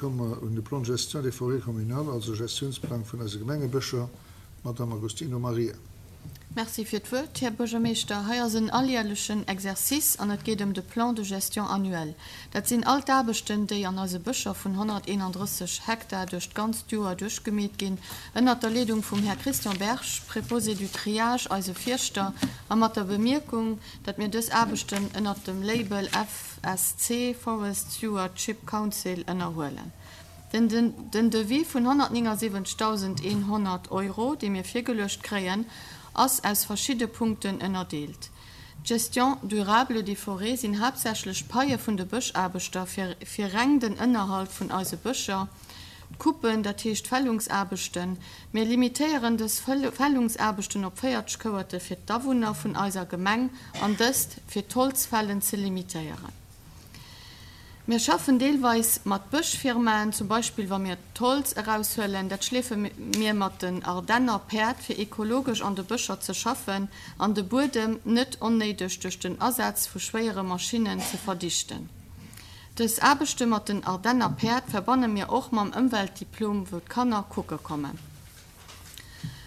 komme mer un de Plan de gestion des forêts communales, also Gestiounsplang vun eise Gemengebëscher. D'Madame Agostino Maria. Merci fir d'Wuert, Här Buergermeeschter. Hei ass en alljährlechen Exercice an et geet ëm de Plan de gestion annuel. Dat sinn all d'Aarbechten, déi an eise Bëscher vun 131 Hektar duerch d'ganzt Joer duerchgemeet ginn, ënnert der Leedung vum Här Christian Berg, Préposé du triage, eise Fierschter, a mat der Bemierkung, datt mir dës Aarbechten ënnert dem Label FSC, Forest Stewardship Council, ënnerhuelen. Den Devis vun 179.100 Euro, dee mir virgeluecht kréien, ass aus verschidde Punkten ënnerdeelt. D'Gestion durable des forêts sinn haaptsächlech d'Paie vun de Bëschaarbechter fir fir reng den Ënnerhalt vun eise Bëscher, d'Coupen, dat heescht d'Fällungsaarbechten. Mir limitéieren dës Fällungsaarbechten op 40 Kouerte fir d'Awunner vun eiser Gemeng an dëst fir d'Holzfällen ze limitéieren. Mir schaffen deelweis mat Bëschfirmaen, zum Beispill wa mir d'Holz eraushuelen. Dat schleefe mir mat den Ardenner Päerd, fir ekologesch an de Bëscher ze schaffen an de Buedem net onnéideg duerch den Asaz vu schwéiere Maschinnen ze verdichten. Dës Aarbechte mat den Ardenner Päerd verbanne mir och mam Ëmweltdiplom, wou d'Kanner kucke kommen.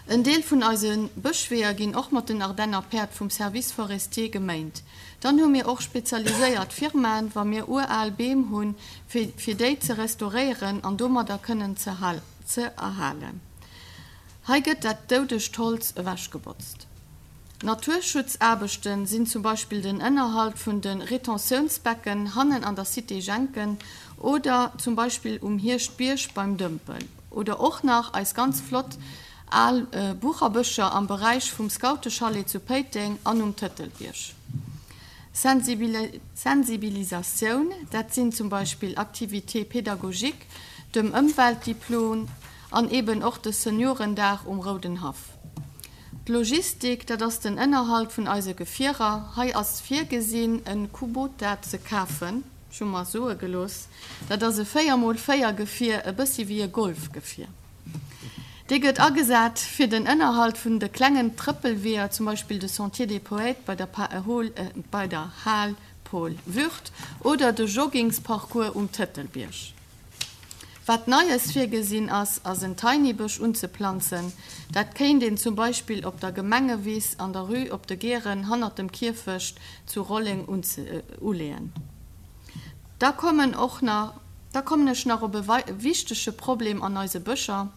En Deel vun eise Bëschweeër ginn och mat den Ardenner Päerd vum Service forestier geméint. Dann hu mir och spezialiséiert Firmaen, wa mir ural Beem hunn, fir fir déi ze restauréieren an domadder kënnen ze ze erhalen. Hei gëtt dat doudegt Holz ewechgebotzt. Naturschutzaarbechten sinn zum Beispill den Ënnerhalt vun de Retentiounsbecken hannen an der Cité Jenken oder zum Beispill um Hierschtbierg beim Dëmpel oder och nach eis ganz flott al Bucherbëscher am Beräich vum Scoutechalet zu Péiteng an um Tëtelbierg. Sensibilisatioun, dat sinn zum Beispill Activités pédagogiques, dem Ëmweltdiplom an eben och de Seniorendag um Roudenhaff. D'Logistik, dat ass den Ënnerhalt vun eise Gefierer. Hei ass virgesinn, e Kubota ze kafen. Ech hu mer soe gelooss, dat ass e 4 mol 4 Gefier, e bëssi wéi e Golfgefier. Dee gëtt agesat fir den Ënnerhalt vun de klengen Trëppelweeër, zum Beispill de Sentier des Poètes bei der bei der Hal Paul Würth oder de Joggingsparcours um Tëtelbierg. Wat Neies virgesinn ass, ass en Tiny-Bësch unzeplanzen. Dat kéint een zum Beispill op der Gemengewiss an der Rue op de Geeren hannert dem Kierfecht zu Rolleng uleeën. Da kommen och nach, da kommen ech nach op e wichtege Problem an eise Bëscher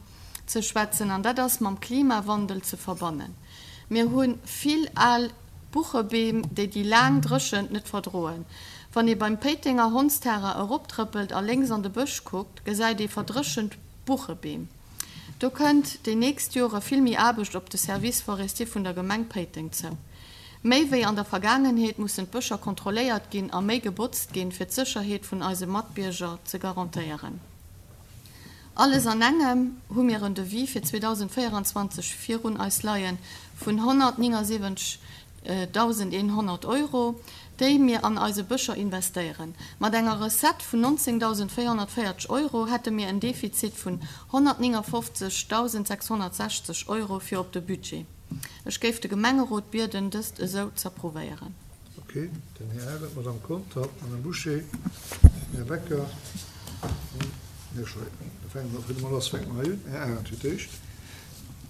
ze schwätzen, an dat ass mam Klimawandel ze verbannen. Mir hu vill al Buchebeem, déi déi laang Dréchent net verdroen. Wann ee beim Péitenger Hondsterrain eroptrëppelt a lénks an de Bësch kuckt, gesäit ee verdréchent Buchebeem. Do kënnt déi nächst Jore vill méi Aarbecht op de Service forestier vun der Gemeng Péiteng zou. Méi wéi an der Vergaangenheet mussen d'Bëscher kontrolléiert ginn a méi gebotzt ginn, fir d'Sécherheet vun eise Matbierger ze garantéieren. Alles an engem hu mir en Devis fir 2024 virun eis leie vun 179.100 Euro, déi mir an eise Bëscher investéieren. Mat enger Recette vun 19.440 Euro hätte mir en Defizit vun 159.660 Euro fir op de Budget. Ech géif de Gemengerot bieden, dëst esou z'approuvéieren. Ok, den Här Arendt, d'Madame Conter, d'Madame Bouché, den Här Becker an den Här Schein. Da fänke mer, fir de mol lass, fänke mer hei un. Här Arendt fir d'éischt.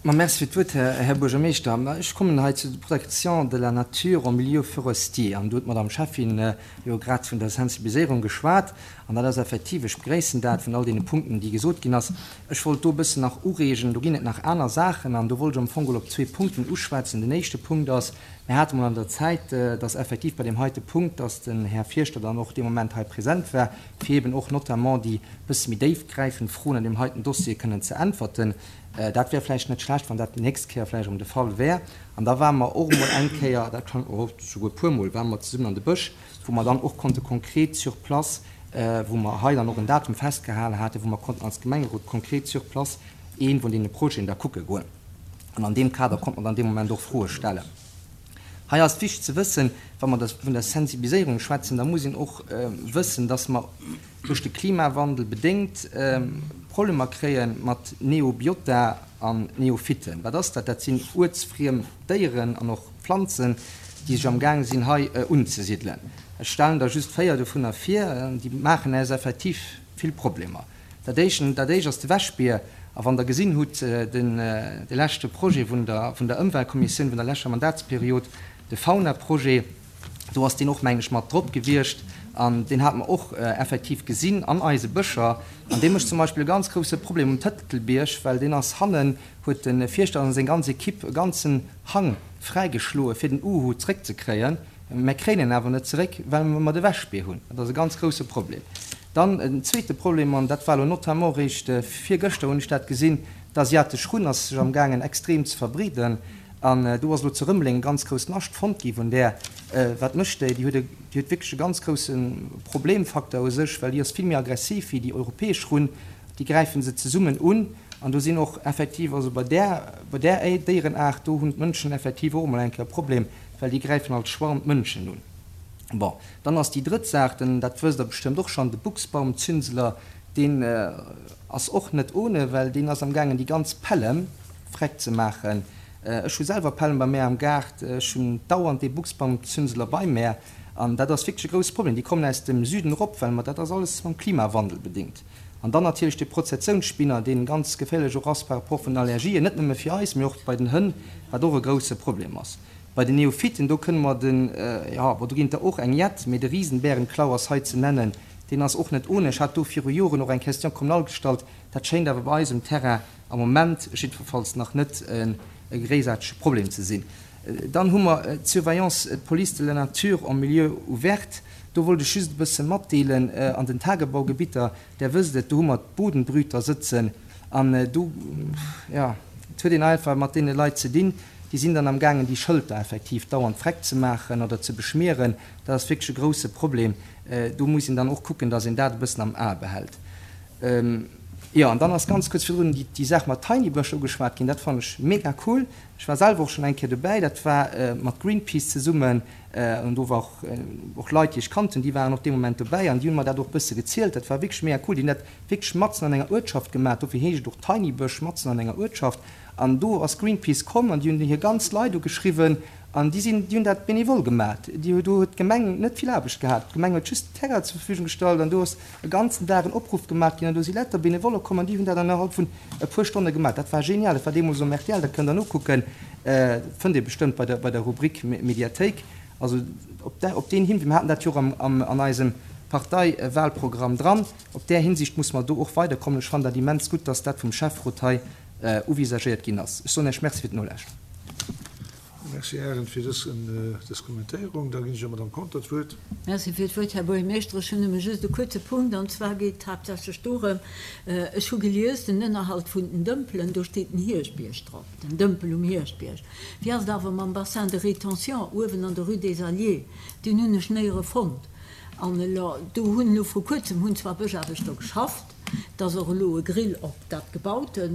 Ma merci fir d'Wuert, Här Buergermeeschter. Ma ech kommen hei zu der Protection de la nature en milieu forestier. An do huet d'Madame Schäffin jo grad vun der Sensibiliséierung geschwat. An dat ass effektiv, ech begréissen dat, vun all deene Punkten, déi gesot ginn ass. Ech wollt do e bëssen nach ureegen, do ginn et nach aner Saachen. An do wollt ech am Fong geholl op zwee Punkten uschwätzen. Den éischte Punkt ass, Mir hate mol an der Zäit, dass effektiv bei deem heite Punkt, dass den Här Fierschter dann och dee Moment hei present war, fir eben och notamment déi bësse méi déifgräifend Froen an deem heiten Dossier kënnen ze äntwerten. Dat wär vläicht net schlecht, wann dat déi nächst Kéier vläicht erëm de Fall wär. An da ware mer och emol eng Kéier, dat kann, oh, souguer e puermol ware mer zesummen an de Bësch, wou mer dann och konnte konkret sur place, wou mer hei dann och en Datum festgehale haten, wou mer konnten als Gemengerot konkret sur place ee vun deene Projeten da kucke goen. An an deem Kader konnt mer dann dee Moment och Froe stellen. Hei ass wichteg ze wëssen, wa mer vun der Sensibiliséierung schwätzen, da muss een och wëssen, dass mer duerch de Klimawandel bedéngt Problemer kréie mat Neobiota an Neophyten. Wat ass dat? Dat sinn uertsfriem Déieren an och Planzen, déi sech amgaang sinn hei unzesidelen. Ech stellen der just 4 dovunner vir, déi maachen äis effektiv vill Problemer. Dat éischt, dat éischt ass de Wäschbier. A wann Der gesinn hutt, den, de leschte Projet vun der, vun der Ëmweltkommissioun vun der leschter Mandatsperiod, de Faunaprojet, do ass deen och, mengen ech, mat drop gewiescht. An deen hate mer och effektiv gesinn an eise Bëscher. An dee mécht zum Beispill e ganz grouse Problem um Tëtelbierg, well deen ass hannen, huet de Fierschter an seng ganz Equipe e ganzen Hang fräigeschloe fir den Uhu zréckzekréien. Mä kréien en awer net zeréck, well mer de Wäschbier hunn. Dat ass e ganz grouse Problem. Dann en zweete Problem, an dat war elo notamment eréischt virgëschter hunn ech dat gesinn, D'asiatesch Runn ass sech amgaangen extrem ze verbreeden. An do ass elo zu Rëmeleng e ganz grousst Nascht fonnt gi vun där. Wat mécht déi? Déi huet e, déi huet wierklech e ganz grouse Problemfaktor u sech, well déi ass vill méi aggressiv wéi déi europäesch Runn. Déi gräife se zesummen un. An do sinn och effektiv, also bei där, bei där Déierenaart, do hunn d'Mënschen effektiv och emol eng Kéier e Problem, well déi gräifen als Schwarm d'Mënschen un. Bon, dann ass déi drëtt Saach, den, dat wësst Der bestëmmt och schonn, de Buchsbaumzünseler, deen ass och net ohne, well deen ass amgaangen déi ganz Pällem freck ze maachen. Ech hu selwer Pällem bei mär am Gaart, ech hunn dauernd dee Buchsbaumzünseler bei mär an dat ass wierklech e grousse Problem. Déi kommen aus dem Süden erop, well mer, dat ass alles mam Klimawandel bedingt. An dann natierlech de Prozessionsspinner, deen ganz geféierlech och ass par rapport vun den Allergien, net nëmme fir eis, mee och bei den Hënn, wat och e grousse Problem ass. Bei den Neophyten, do kënne mer den, jo, bon, do ginn et der och eng jett, mee de Riesenbärenklau ass hei ze nennen, deen ass och net ohne. Ech hat do viru Joren och eng Question communale gestallt, dat schéint awer bei eis um Terrain am Moment jiddwerfalls nach net e gréissaartege Problem ze sinn. Dann hu mer d'Surveillance, d'Police de la nature en milieu ouvert. Do wollt ech just e bësse matdeelen, an den Tagebaugebitter, Der wësst et, do hu mer d'Bodenbrüter sëtzen an do, jo, et huet een einfach mat deene Leit ze dinn, déi sinn dann amgaangen, déi Schëlter effektiv dauernd freck ze maachen oder ze beschmieren. Dat ass wierklech e grouse Problem. Do muss een dann och kucken, dass een dat e bëssen am A behält. Jo, an dann ass ganz kuerz virdrun déi Saach mat Tiny Bësch ugeschwat ginn. Dat fannen ech mega cool. Ech war selwer och schonn eng Kéier dobäi. Dat war mat Greenpeace zesummen. An do war och, och Leit, déi ech kannt hunn, déi waren och dee Moment dobäi an déi hunn mer dat och e bësse gezielt. Dat war wierklech mega cool. Déi hunn dat wierklech matzen an enger Uertschaft gemaach. Dofir heescht et och Tiny Bësch, matzen an enger Uertschaft. An do ass Greenpeace komm an déi hunn hir ganz Leit ugeschriwwen an déi sinn, déi hunn dat benevol gemaach. Déi, do huet d'Gemeng net vill Aarbecht gehat. D'Gemeng huet just den Terrain zur Verfügung gestallt an do ass e ganzen Dag en Opruff gemaach ginn an do si lauter Benevolle komm an déi hunn dat an innerhalb vun e puer Stonne gemaach. Dat war genial. Dat war deemools um rtl, dat kënnt Der nokucken, fënnt ee bestëmmt bei der, bei der Rubrik Mediathéik. Also op där, op deen Hinwee, mir haten dat jo och am, am, an eisem Parteiwahlprogramm dran, op där Hinsicht muss mer do och weiderkommen. Ech fannen dat immens gutt, dass dat vum Schäfferot hei uvisagéiert ginn ass. Ech soen Iech Merci fir d'Nolauschteren. Merci, Här Arendt, fir dës Kommentéierung. Da ginn ech der Madame Conter d'Wuert. Merci fir d'Wuert, Här Buergermeeschter. Ech hunn nëmme just e kuerze Punkt, an zwar geet et haaptsächlech dorëm, ech hu gelies, den Ënnerhalt vun den Dëmpelen, do steet den Hierschtbierg drop, den Dëmpel um Hierschtbierg. Wéi ass et awer mam Bassin de rétention uewen an der Rue des Alliés? Deen hunn ech néiere fonnt. An elo, do hunn elo vru kuerzem hunn zwar Bëschaarbechter geschafft, et ass och elo e Grill op dat Gebaute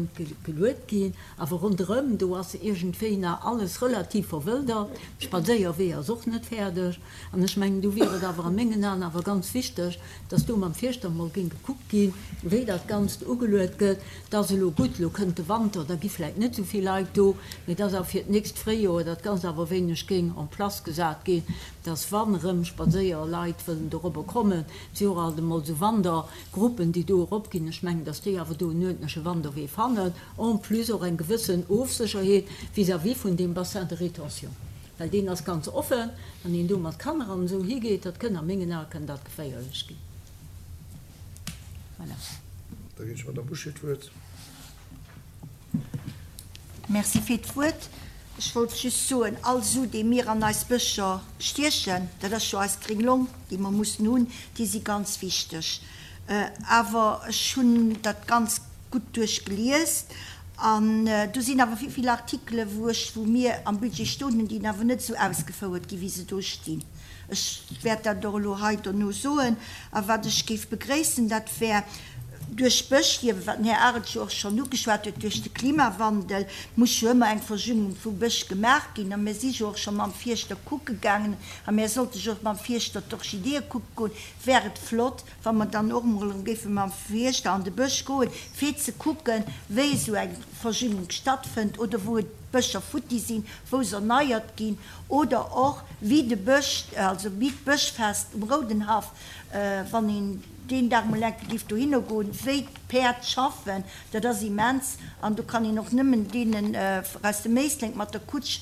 geluet ginn, Awer ronderëm do ass iergendwéi nach alles relativ verwëldert. De Spadséierwee ass och net fäerdeg. An ech mengen, do wier et awer a mengen Aen awer ganz wichteg, dass do mam Fierschter emol géing gekuckt ginn, wéi dat Ganzt ugeluet gëtt. Et ass elo gutt, elo kënnt de Wanter, da gi vläicht net esou vill Leit do, mee dass awer fir d'nächst Fréijoer dat Ganzt awer e wéineg géing en place gesat ginn, dass wann erëm Spadséierleit wëllen dorobber kommen, et si och alt emol esou Wandergruppen, déi do eropginn, ech mengen, dass déi awer do en uerdentleche Wanderwee fannen. En plus och eng gewëssen Ofsécherheet vis-à-vis vun deem Bassin de rétention, well deen ass ganz offen, wann een do mat Kanner an esou higeet, dat kënn a mengen Ae kënn dat geféierlech ginn. Voilà. Da ginn ech der Madame Bouché d'Wuert. Merci fir d'Wuert. Ech wollt just soen, all Su, dee mir an eis Bëscher stiechen, dat ass jo eis gréng Long, déi mer mussen hunn, déi si ganz wichteg. Awer ech hunn dat ganz gutt duerchgelies an do sinn awer vill, vill Artikele wou ech, wou mir am Budget stoen hunn, déi awer net esou ausgefouert ginn, wéi se do stinn. Ech wäert dat och elo hei dono soen. A wat ech géif begréissen, dat wär duerch d'Bëschstierwen, wat den Här Arendt jo och schonn ugeschwat huet, duerch de Klimawandel muss jo ëmmer eng Verjüngung vu Bësch gemaach ginn. A mir si jo och scho mam Fierschter kucke gaangen a mir sollte jo och mam Fierschter d'Orchideeë kucke goen, wär et flott, wa mer dann och emol erëm géife mam Fierschter an de Bësch goen, fir ze kucken, wéi esou eng Verjüngung stattfënnt oder wou et d'Bëscher futti sinn, wou se erneiert ginn oder och wéi de Bësch, also wéi d'Bëschfest um Roudenhaff, wann een. deen Dag mol enke giff dohinner goen, wéi d'Päerd schaffen, dat ass immens. An do kann een och nëmmen deenen aus dem Éislek mat der Kutsch,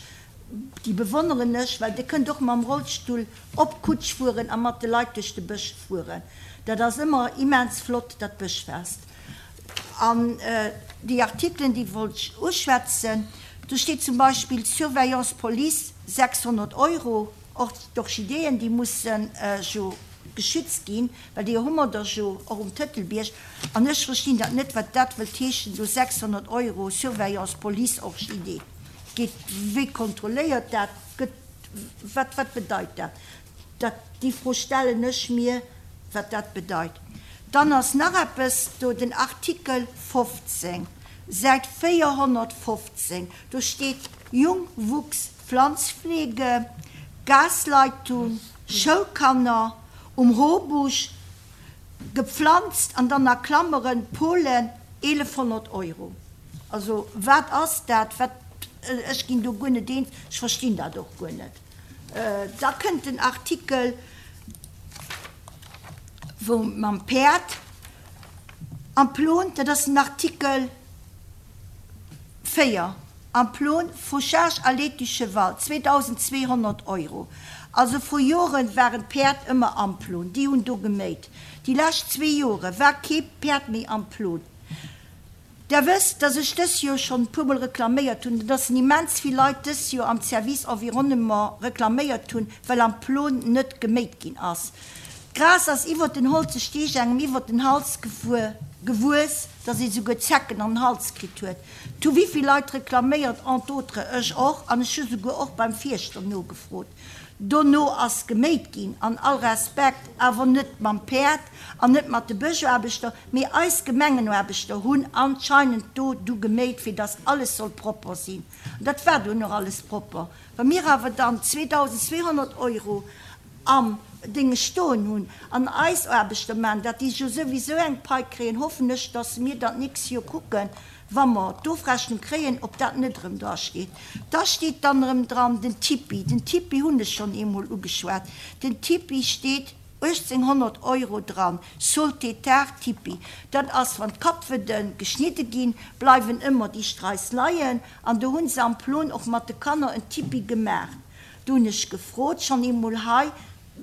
déi bewonneren ech, well Dir kënnt och mam Rollstull op d'Kutsch fueren a mat de Leit duerch de Bësch fueren. Dat ass ëmmer immens flott, dat Bëschfest. An déi Artikelen, déi wollt ech uschwätzen. Do steet zum Beispill Surveillance Police 600 Euro. Och d'Orchideen, déi musse jo geschützt ginn, well déi hu mer der jo och um Tëtelbierg. An ech verstinn dat net, wat dat wëllt heeschen, do 600 Euro Surveillance Police Orchidée. Geet, wie kontrolléiert dat? Gëtt, wat, wat bedeit dat? Dat, déi Fro stellen ech mir, wat dat bedeit. Dann ass nach eppes do, den Artikel 15, Säit 415, do steet Jungwuchs Pflanzpflege, Gasleitung, Schoulkanner um Hobusch, gepflanzt an dann a Klammeren Polen, 1100 Euro. Also wat ass dat? Wat, ech ginn do guer net eens, ech verstinn dat och guer net. Da kënnt den Artikel wou mam Päerd am Plon, dat ass den Artikel 4. Am Plon, Fauchage allée du Cheval, 2.200 Euro. Also vru Joren waren d'Päerd ëmmer am Plon, déi hunn do geméit. Déi lescht zwee Jore war kee Päerd méi am Plon. Der wësst, dass ech dës Joer schonn e puermol reklaméiert hunn, dass en immens vill Leit dës Joer am Service Environnement reklaméiert hunn, well am Plon net geméit ginn ass. D'Gras ass iwwert den holze Steg engem iwwert den Hals gefuer, gewuess, dass ee souguer Zecken an den Hals kritt huet. 't hu wivill Leit reklaméiert, entre autres ech och, an ech hu souguer och beim Fierschter nogefrot. Dono ass geméit ginn, an all Respekt, awer net mam Päerd an net mat de Bëschaarbechter, mee eis Gemengenaarbechter hunn anscheinend do du geméit, fir dass alles soll propper sinn. An dat war dunn och alles propper. Wa mir awer dann 2.200 Euro am Dénge stoen hunn an eis Aarbechter maachen dat, déi jo souwisou eng Pai kréien, hoffen ech, dass mir dann d'nächst Joer kucken, wa mer d'Ofrechnung kréien, ob dat net erëm dra steet. Da steet dann erëm dran den Tipi. Den Tipi hunn ech schonn eemol ugeschwat. Den Tipi steet 1.800 Euro dran, Saultétard Tipi. Dat ass, wann d'Kappwëdde geschnidde ginn, bleiwen ëmmer déi Straiss leien an do hu se am Plon och mat de Kanner en Tipi gemaach. Do hunn ech gefrot, schonn eemol hei,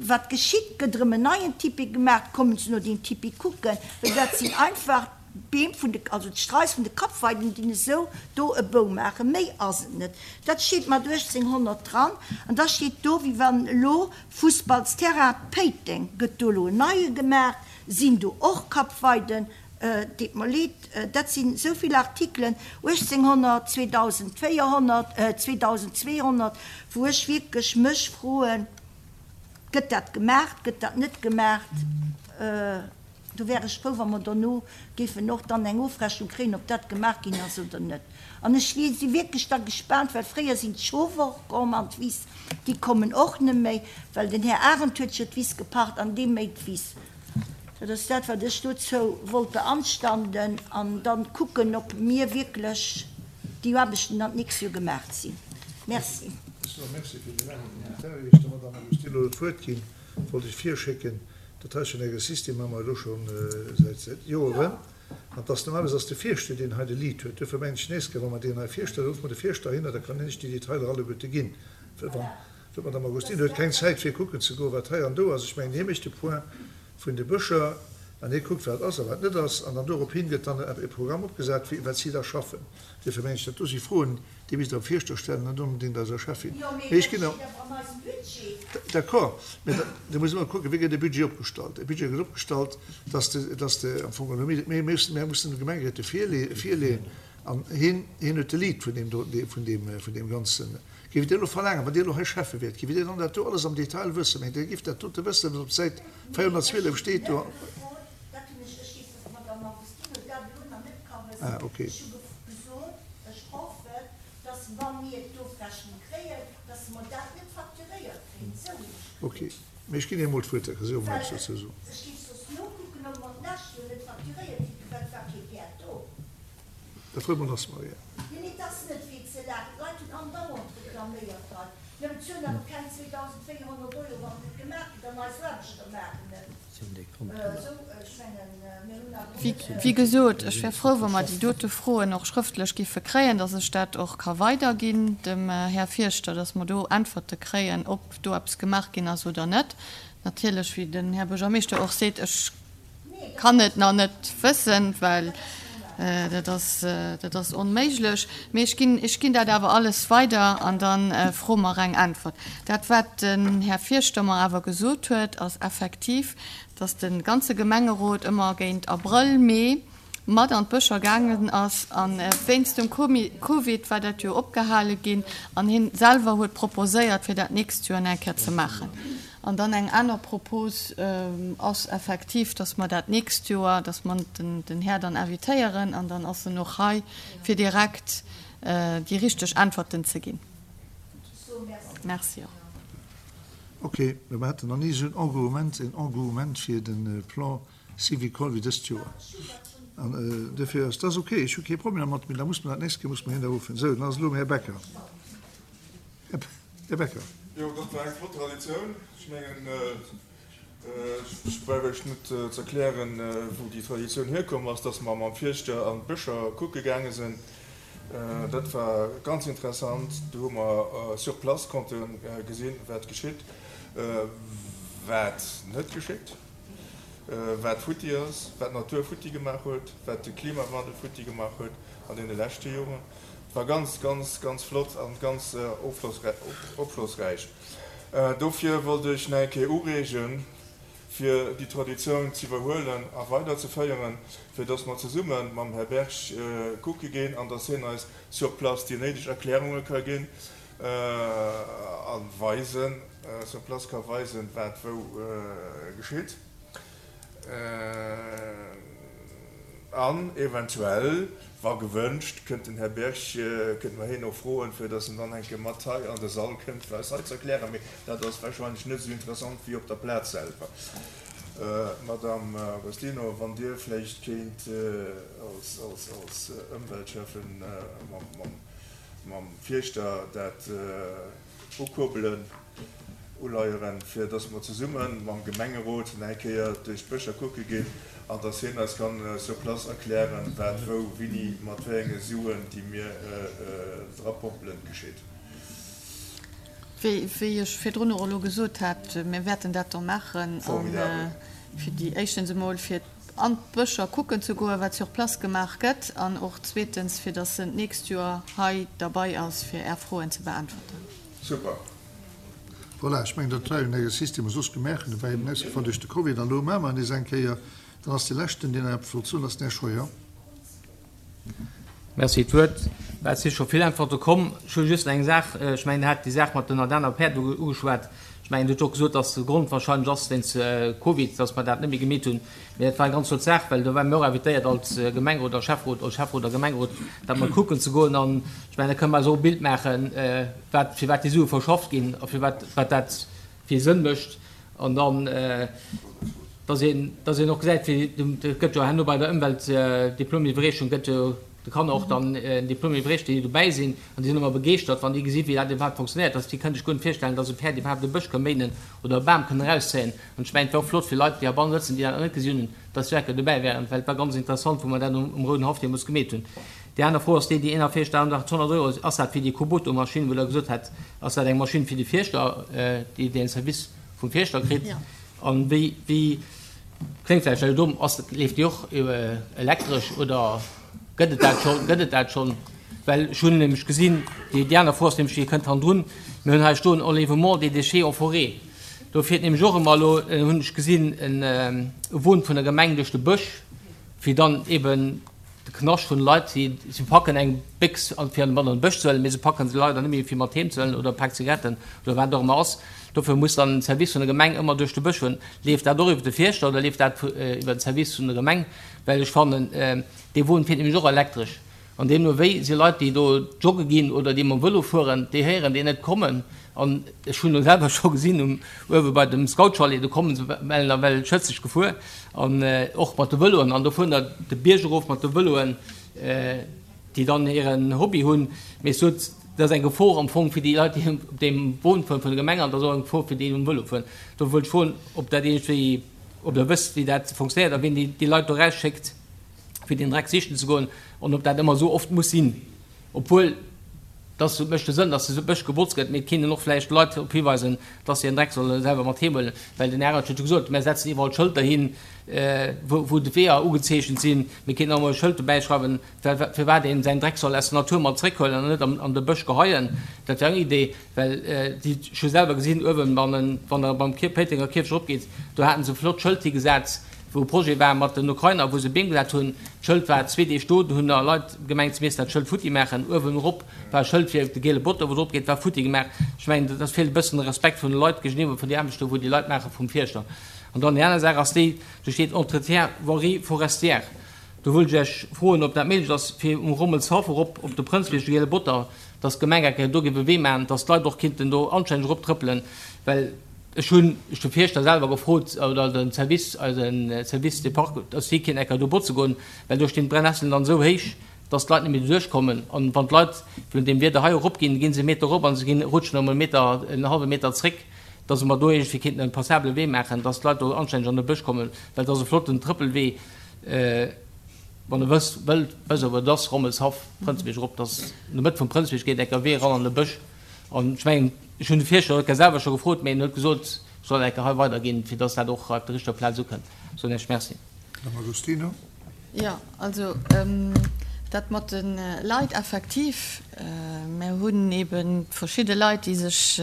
wat geschitt, gëtt erëm en neien Tipi gemaach, kommen se no deem Tipi kucken, well dat sinn einfach d'Beem vun de, also d'Straiss vun de Kappweiden, déi esou do e Bou maachen, méi ass et net. Dat steet mat 1800 dran an da steet do, wéi wann elo Fussballsterrain Péiteng, gëtt do elo en neie gemaach, sinn do och Kappweiden, Deet mer leed, dat sinn esou vill Artikelen, 1800, 2400, 2200, wou ech wierklech mech froen, Gëtt dat gemaach, gëtt dat net gemaach? Do wär ech frou, wa mer dono géifen och dann eng Ofrechnung kréien, ob dat gemaach ginn ass oder net. An ech si wierklech da gespaant, well fréier sinn d'Schof och komm an d'Wiss, déi kommen och net méi, well den Här Arendt huet jo d'Wiss gepacht an dee méit d'Wiss. Dat ass dat, wat ech dozou wollt beanstanden an dann kucken, ob mir wierklech déi Aarbechten dann d'nächst Joer gemaach sinn. Merci. Ech soe Merci fir dee laange Kommentar. Ier ech der Madame Agostino d'Wuert ginn, wollt ech virschécken, dat hei ass jo en Exercice, dee maache mer elo scho säit Joeren. An et ass normalerweis ass de Fierschter, deen hei de Lead huet. Duerfir mengen ech, d'nächst Kéier, wa mer deen hei virstellen, ruffe mer de Fierschter heihinner, da kann hien lech déi Detailer alleguerte ginn. Well wann. D'Madame Agostino huet keng Zäit fir kucken ze goen, wat hei an do ass. Ech mengen, hie mécht de Point vun de Bëscher an hie kuckt, wat ass a wat net ass. An dann dorophin gëtt dann e Programm opgesat, wéi wat si da schaffen. Duerfir mengen ech, dat do si Froen, déi misst Der dem Fierschter stellen, net onbedéngt eiser Cheffin. Mee ech ginn der. D'accord, mä da, da muss ëmmer kucken, wéi gëtt e Budget opgestallt. E Budget gëtt opgestallt, dass de, dass de am Fong geholl, mir mussen, mir mussen de Gemengeréite virleeën an hien, hien huet de Lead vun deem do, vun deem, vun deem ganzen. Géift Dir elo verlaangen, wann Dir elo hei Schäffe wiert, géift Dir dann dat do alles am Detail wëssen? Mengt Dir, Dir géift dat dote wëssen, wat op Säit 412 steet do? Ah, okay. Okay, mee ech ginn Iech emol d'Wuert, da ka si och emol eppes dozou soen. Dat huet mer lass, Maria. Nee, mee 't ass net fir ze laachen. D'Leit hunn andauernd reklaméiert hei. Mir bezuelen awer keng 2.400 Euro, wann et net gemaach gëtt, an eis Aarbechter maachen et. Esou, ech mengen, mir hunn awer och net. Wéi gesot, ech wär frou, wa mer déi dote Froen och schrëftlech giffe kréien, dass ech dat och ka weiderginn dem Här Fierschter, dass mer do Äntwerte kréien, ob do eppes gemaach ginn ass oder net. Natierlech, wéi den Här Buergermeeschter och seet, ech kann et nach net wëssen, well dat ass, dat ass onméiglech. Mee ech ginn, ech ginn dat awer alles weider an da froe mer eng Äntwert. Dat, wat den Här Fierschter mer awer gesot huet, ass effektiv, dass de ganze Gemengerot ëmmer géint Abrëll, Mee mat an d'Bëscher gaangen ass a wéinst dem Covid war dat jo opgehale ginn an hien selwer huet proposéiert, fir dat d'nächst Joer nach eng Kéier ze maachen. An dann eng aner Propos ass effektiv, dass mer dat d'nächst Joer, dass mer den Här dann invitéieren an dann ass en och hei, fir direkt déi richteg Äntwerten ze ginn. Merci och. Ok, mä mer haten nach ni esou en Engouement, en Engouement fir de Plan Syvicol wéi dëst Joer. An duerfir ass dat ok, ech hu kee Problem dermat, mee da muss mer dat nächst Kéier muss mer hien da ruffen. Sou, dann ass elo um Här Becker. Här Becker. Jo, dat war eng flott Traditioun. Ech mengen, ech brauch Iech net ze erklären, wou déi Traditioun hierkomm ass, dass mer mam Fierschter an d'Bëscher kucke gaange sinn. Dat war ganz interessant. Do hu mer sur place konnte gesinn, wat geschitt, wat net geschitt, wat futti ass, wat d'Natur futti gemaach huet, wat de Klimawandel futti gemaach huet an deene leschte Joren. Et war ganz, ganz, ganz flott a ganz opschlossräich. Dofir wollt ech nach eng Kéier ureegen, fir déi Traditioun z'iwwerhuelen a weiderzeféieren, fir dass mer zesumme mam Här Berg kucke ginn an dass hien eis sur place déi néideg Erklärunge ka ginn a weisen, sur place ka weisen, wat wou geschitt. An eventuell, wa gewënscht, kënnt den Här Berg, kënnte mer hien och froen, fir dass en dann eng Kéier mat hei an de Sall kënnt, fir eis hei ze erklären. Mee dat ass wahrscheinlech net esou interessant wéi op der Plaz selwer. Madame Agostino, wann Dir vläicht kéint als Ëmweltschäffen mam Fierschter dat ukurbelen, uleieren, fir dass mer zesumme mam Gemengerot nach eng Kéier duerch d'Bëscher kucke ginn an dass hien eis kann sur place erklären, wat wou, wini, mat wéi enge Suen, déi mir drapompelen, geschitt. Wéi ech virdrun och elo gesot hat, mir wäerten dat da maachen. Formidabel. Fir déi, éischtens emol, fir an d'Bëscher kucken ze goen, wat sur place gemaach gëtt, an och zweetens, fir dass en d'nächst Joer hei derbei ass, fir Är Froen ze beäntwerten. Super. Voilà, ech mengen, dat war jo en Exercice, dee mer soss gemaach hunn. E war eben ausgefall duerch de Covid. An elo maache mer en nees eng Kéier. Dann ass dee leschten, deen nach eppes wollt soen, ass den Här Scheuer. Merci fir d'Wuert. Et si scho vill Äntwerte komm. Ech hu just eng Saach. Ech mengen, Dir hat déi Saach mat den Ardenner Päerd ugeschwat. Ech mengen, Dir hutt och gesot, dass de Grond wahrscheinlech ass wéinst Covid, dass mer dat net méi gemeet hunn. Mee dat war eng ganz flott Saach, well do ware mir och invitéiert als Gemengerot a Schäfferot, als Schäfferot a Gemengerot, dat mol kucken ze goen. An ech mengen, da kënne mer eis och e Bild maachen, wat, firwat déi Sue verschafft ginn a firwat, wat dat fir ee Sënn mécht. An dann, dass een, dass een och gesäit, wéi, et gëtt jo herno bei der Ëmweltdiplomiwwerreechung gëtt jo de Kanner och dann en Diplom iwwerreecht, déi dobäi sinn, an déi sinn ëmmer begeeschtert, wann déi gesinn, wéi dat iwwerhaapt fonctionnéiert. Dass déi kënnen sech guer net virstellen, dass e Päerd iwwerhaapt e Bësch ka méinen oder e Bam kënnen erauszéien. An ech mengen, et wär och flott fir Leit, déi heibannen sëtzen, déi dat nach net gesinn hunn, dass se enke dobäi wären, well et war ganz interessant, wou mer dat um Rouden Haff deemools gemeet hunn. Déi aner Fro ass déi, déi 41.800 Euro, ass dat fir déi Kuboto-Maschinn, wou Der gesot hat, ass dat eng Maschinn fir de Fierschter, déi den Service vum Fierschter kritt? An wéi, wéi, kléngt vläicht elo domm, ass, leeft déi och elektresch oder gëtt et dat schonn, gëtt et dat schonn? Well ech hunn nämlech gesinn, déi, déi aner Fro ass nämlech, déi kënnt hannendrun, mir hunn hei stoen Enlèvement des déchets en forêt. Do fiert nämlech och ëmmer elo, hunn ech gesinn, en Won vun der Gemeng duerch de Bësch, fir dann eben De Knascht vun de Leit, si si packen eng Béchs an fir mat an de Bësch ze huelen, mee se packen se leider net méi fir mat heem ze huelen oder e Pak Zigaretten oder wat et och ëmmer ass. Dofir muss dann den Service vun der Gemeng ëmmer duerch de Bësch fueren. Leeft dat och iwwer de Fierschter oder leeft dat iwwer den Service vun der Gemeng? Well ech fannen, dee Won fiert nämlech och elektresch an deemno wéi si Leit, déi do jogge ginn oder déi mam Vëlo fueren, déi héieren deen net kommen. An ech hunn elo selwer scho gesinn um uewe bei dem Scoutchalet, do kommen se mellen nawell schëtzeg gefuer. An och mat de Vëloen. An do fueren der de Bierg erof mat de Vëloen, déi dann hiren Hobby hunn. Mee ech sot, Dat ass eng Gefor am Fong fir déi Leit, déi op deem Won fueren vun der Gemeng, an dat ass och eng Gefor fir déi, déi um Vëlo fueren. Do wëllt ech froen, ob dat iergendwéi, ob Der wësst, wéi dat fonctionnéiert a wien déi, déi Leit do erausschéckt, fir deen Dreck sichen ze goen, an ob dat ëmmer esou oft muss sinn, obwuel dass et mécht de Sënn, dass de Bësch gebotzt gëtt, mee et kéint een och vläicht d'Leit drop hiweisen, dass se hiren Dreck solle selwer mat heem huelen, well den Arendt huet jo gesot, Mär setzen iwwerall Schëlter hin, wou, wou d'Weeër ugezeechent sinn. Mir kéinten och emol e Schëld dobäi schreiwen, firwat een säin Dreck soll aus der Natur mat zréckhuelen an net an de Bësch geheien. Dat wär eng Idee, well déi, ech hu selwer gesinn uewen, wann der beim Péitenger Kierfecht eropgeet, do haten se e flott Schëld higesat, wou e Projet war mat den Ukrainer, wou se Beem gesat hunn. D'Schëld war zwee Deeg do, do hunn der Leit gemengt, se missten dat Schëld futti maachen. Uewen erop war e Schëld fir de giele Botto, wou drop geet, war futti gemaach. Ech mengen, dat feelt e bëssen de Respekt vun de Leit géigeniwwer vun déi Aarbecht do, wou déi Leit maache vum Fierschter. An dann déi aner Saach ass déi, do steet Entretien voirie forestière. Do wëllt ech Iech froen, ob dat méiglech ass, fir um Rommelshaff erop op de Prënzbierg, de Giele Botter, dass d'Gemeng eng Kéier do géif e Wee maachen, dass d'Leit och kinnten do anstänneg eroptrëppelen, well ech hunn ech de Fierschter selwer gefrot, oder de Service, eise Service des Parcs, dass si kéinten eng Kéier do botze goen, well do stinn d'Brennesselen dann esou héich, dass d'Leit net méi do duerchkommen. An wann d'Leit vun deem Wieder hei eropginn, ginn se e Meter erop a se ginn, rutschen erëm e Meter, en hallwe Meter zréck, dass mer do iergendwéi kéinten e passabele Wee maachen, dass d'Leit do anstänneg an de Bësch kommen, well et ass e flotten Trëppelwee. Wann e wësst, wëllt, wësst awer, et ass Rommelshaff, Prënzebierg erop, dass an der Mëtt vum Prënzebierg geet enker Wee eran an de Bësch. An ech mengen, ech hunn de Fierschter Röcker selwer scho gefrot, mee en huet gesot, ech soll enker hei weiderginn, fir dass dat och op der richteger Plaz ukënnt. Soen Iech Merci. Madame Agostino. Jo, also dat mat de Leit, effektiv, mär hunn eebe verschidde Leit, déi sech,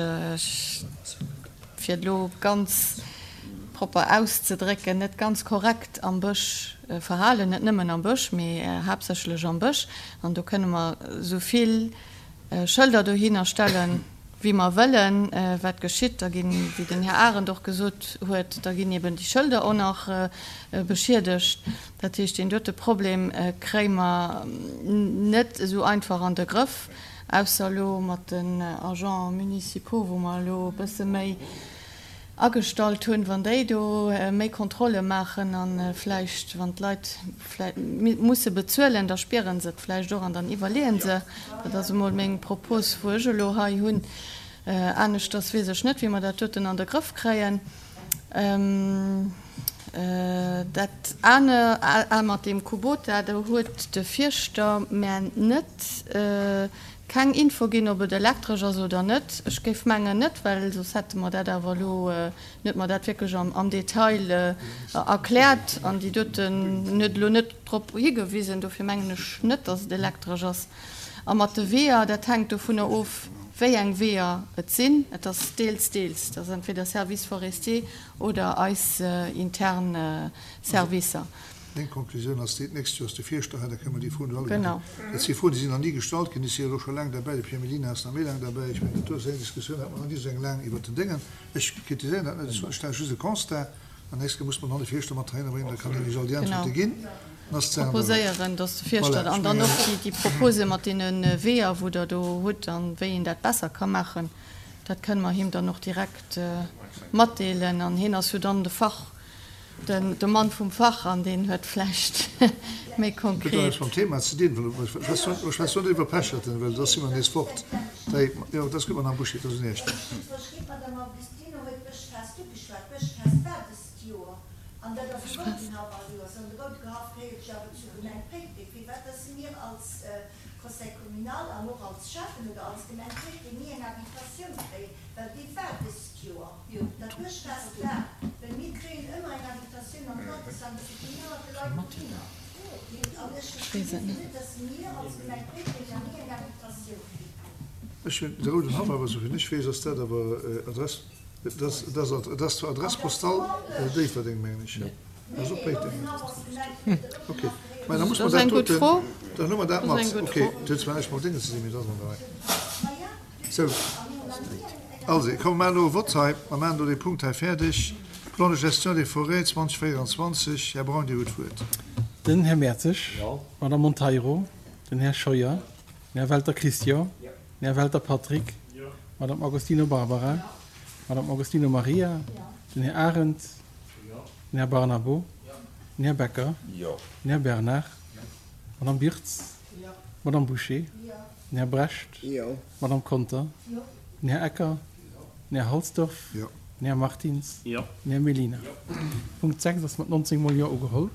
fir et elo ganz propper auszedrécken, net ganz korrekt am Bësch verhalen, net nëmmen am Bësch, mee haaptsächlech am Bësch. An do kënne mer esou vill Schëlder dohinner stellen, wéi mer wëllen. Wat geschitt? Da ginn, wéi den Här Arendt och gesot huet, da ginn eben déi Schëlder och nach beschiedegt. Dat heescht, deen dote Problem kréie mer net esou einfach an de Grëff, ausser elo mat den Agents municipaux, wou mer elo e bësse méi agestallt hunn, wann déi do méi Kontrolle maachen a vläicht, wann d'Leit vläicht musse bezuelen, da spiere se et vläicht och an dann iwwerleeë se. Dat ass emol meng Propos, wou ech elo hei hunn. Aneschters weess ech net, wéi mer dat doten an de Grëff kréien. Dat aner mat deem Kubota, do huet de Fierschter mär net Keng Info ginn, ob et elektresch ass oder net. Ech géif mengen net, well soss hätte mer dat awer elo net mer dat wierklech am Detail erkläert an déi doten huet elo net drop higewisen. Dofir mengen ech net, datt et elektresch ass. A mat de Weeër, dat hänkt dovunner of, wéi eng Weeër et sinn. Et ass deels, deels. Et ass entweder Service forestier oder eis intern Servicer. Meng Konklusioun ass déi, D'nächst Joer ass de Fierschter hei, da kënne mer déi Froen do alleguerten. Dat si Froen, déi sinn nach ni gestallt ginn. Ech si jo elo scho laang derbäi, de Pierre Mellina ass nach méi laang derbäi. Ech mengen, dat do ass eng Diskussioun, hat mer nach ni esou eng laang iwwert den Déngen. Ech kritiséieren dat net, ech stelle just e Constat. An nächst Kéier muss mer dann de Fierschter mat heihinner bréngen, da kann deen iech all déi Äntwerte ginn. Dann ass d'Saach an der Rei. Proposéieren, dass de Fierschter Voilà, ech an dann mengen. och déi Propose mat deene Weeër, wou Der do hutt, an wéi een dat besser ka maachen, dat kënne mer him dann och direkt matdeelen. An hien ass jo dann de Fach. De Mann vum Fach an deen huet vläicht méi Huet och konkret. näischt mam Thema ze dinn, well ech schwätze net iwwer Pecherten, well da si mer nees fort. Dei, jo, dat ass gutt, Madame Bouché, dat ass un Iech. D'Madame Augustino huet d'Bëschfest ugeschwat. D'Bëschfest war dëst Joer an dat ass e Roudenhaff all Joers. An de Roudehaff gehéiert jo awer zur Gemeng Péiteng. Firwat dass mir als Conseil communal an och als Schäffen oder als Gemeng Péiteng ni eng Invitatioun kréien, well déi war dëst Joer. Dat Bëschfest war, well mir kréien ëmmer eng Invitatioun an d'Altersham, dofir ginn ëmmer de Leit dohinner. An ech verstinn dofir net, dass mir als Gemeng Péiteng nach ni eng Invitatioun kritt hunn. Ech hunn de Rouden Haff, awer esouvill ech weess, ass dat awer Adress, et ass, et ass, et ass zwar Adresse postale Déifferdeng, mengen ech, jo, dat ass och Péiteng. Ok, mä da muss mer dat doten, dann hu mer dat mat. Ok, et huet zwar näischt mam Déngen ze dinn, mee et ass an der Rei. Sou, also, komm, mer maachen elo e Vott hei. Mer maachen elo dee Punkt hei fäerdeg. Plan de gestion des forêts 2024. Här Braun, Dir hutt d'Wuert. Den Här Mertzig. D'Madame Monteiro. Den Här Scheuer. Den Här Welter Christian. Den Här Welter Patrick. D'Madame Agostino Barbara. D'Madame Agostino Maria. Den Här Arendt. Den Här Barnabo. Den Här Becker. Den Här Bernard. D'Madame Birtz. D'Madame Bouché. Den Här Brecht. D'Madame Conter. Den Här Ecker. Den Här Halsdorf. Den Här Martins. Den Här Mellina. Punkt 6 ass mat 19 mol Jo ugeholl.